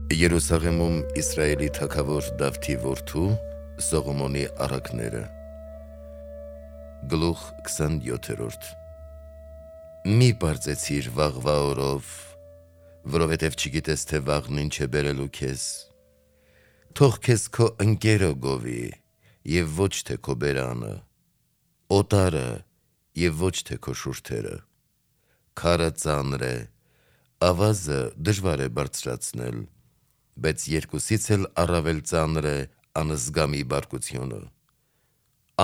Երուսաղեմում Իսրայելի թագավոր Դավթի որդու Սողոմոնի առակները Գլուխ 27 Մի պարծեցիր վաղվա օրով, որովհետև չգիտես թե վաղն ինչ է բերելու քեզ, թող քեզ քո ընկերը գովի և ոչ թե քո բերանը, օտարը և ոչ թե քո շուրթերը, քարը ծանր է, ավազը դժվար է բարձրացնել, բայց երկուսից էլ առավել ծանր է անզգամի բարկությունը,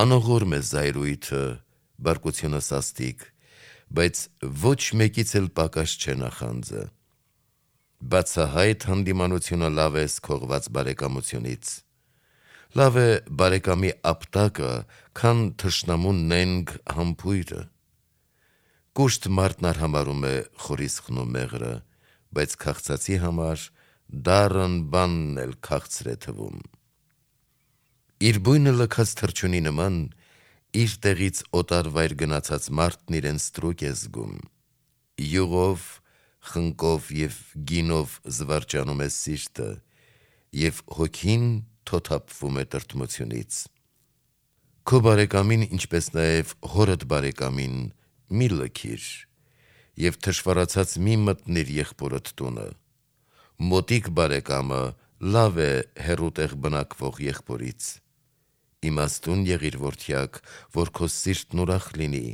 անողորմ է զայրույթը, բարկությունը սաստիկ, բայց ոչ մեկից էլ պակաս չէ նախանձը, բացահայտ հանդիմանությունը լավ է սքողված բարեկամությունից, լավ է բարեկամի ապտակը, քան թշնամու նենգ համբույրը, կուշտ մարդն արհամարում է խորիսխն ու մեղրը, բայց քաղցածի համար դառն բանն էլ քաղցր է թվում, իր բույնը լքած թռչունի նման, իր տեղից օտար վայր գնացած մարդն իրեն ստրուկ է զգում, յուղով, խնկով և գինով զվարճանում է սիրտը, և հոգին թոթափվում է տրտմությունից, քո բարեկամին, ինչպես նաև հորդ բարեկամին, մի լքիր, և թշվառացած մի մտնիր եղբորդ տունը, մոտիկ բարեկամը լավ է հեռու տեղ բնակվող եղբորից, իմաստուն եղիր որդյակ, որ քո սիրտն ուրախ լինի,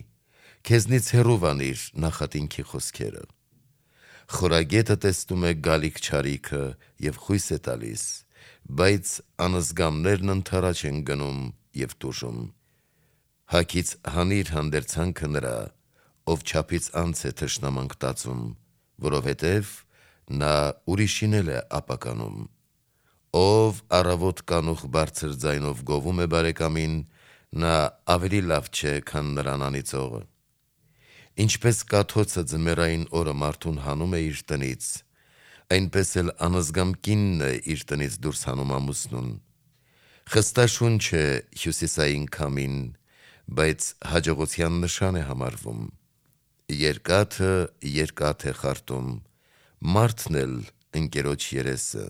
քեզնից հեռու վանիր նախատինքի խոսքերը, խորագետը տեսնում է գալիք չարիքը և խույս է տալիս, բայց անզգամներն ընդառաջ են գնում և տուժում, հագից հանիր հանդերձանքը նրա, ով չափից անց է թշնամանք տածում, որովհետև նա ուրիշին էլ է ապականում, ով առավոտ կանուխ բարձր ձայնով գովում է բարեկամին, նա ավելի լավ չէ, քան նրան անիծողը, ինչպես կաթոցը ձմեռային օրը մարդուն հանում է իր տնից, այնպես էլ անզգամ կինն է իր տնից դուրս հանում ամուսնուն, խստաշունչ է հյուսիսային քամին, բայց հաջողության նշան է համարվում, երկաթը երկաթ է խարտում, մարդն էլ ընկերոջ երեսը,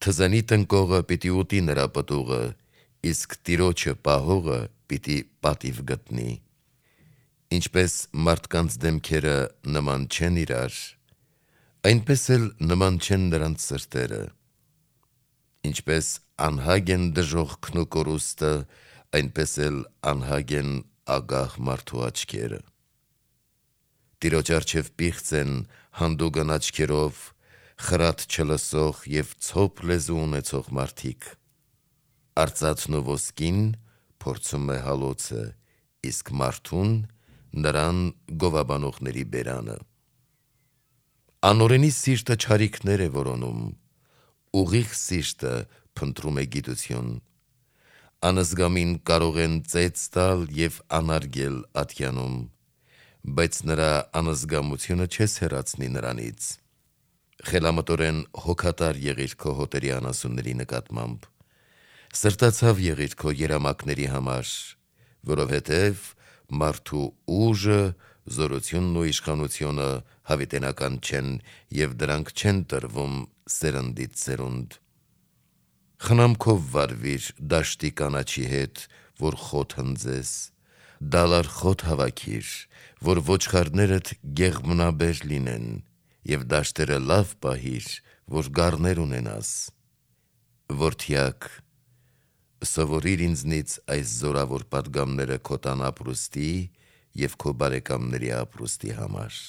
թզանի տնկողը պիտի ուտի նրա պտուղը, իսկ տիրոջը պահողը պիտի պատիվ գտնի, ինչպես մարդկանց դեմքերը նման չեն իրար, այնպես էլ նման չեն նրանց սրտերը, ինչպես անհագ են դժոխքն ու կորուստը, այնպես էլ անհագ են ագահ մարդու աչքերը, Տիրոջ առջև պիղծ են հանդուգն աչքերով, խրատ չլսող և ցոփ լեզու ունեցող մարդիկ, արծաթն ու ոսկին փորձում է հալոցը, իսկ մարդուն նրան գովաբանողների բերանը, անօրենի սիրտը չարիքներ է որոնում, ուղիղ սիրտը փնտրում է գիտություն, անզգամին կարող են ծեծ տալ և անարգել ատյանում, բայց նրա անզգամությունը չես հեռացնի նրանից, խելամտորեն հոգատար եղիր քո հոտերի անասունների նկատմամբ, սրտացավ եղիր քո երամակների համար, որովհետև մարդու ուժը, զորությունն ու իշխանությունը հավիտենական չեն և դրանք չեն տրվում սերնդից սերունդ, խնամքով վարվիր դաշտի կանաչի հետ, որ խոտ հնձես, դալար խոտ հավաքիր, որ ոչխարներդ գեղմնաբեր լինեն, և դաշտերը լավ պահիր, որ գառներ ունենաս, որդյակ, սովորիր ինձնից այս զորավոր պատգամները քո տան ապրուստի և քո բարեկամների ապրուստի համար,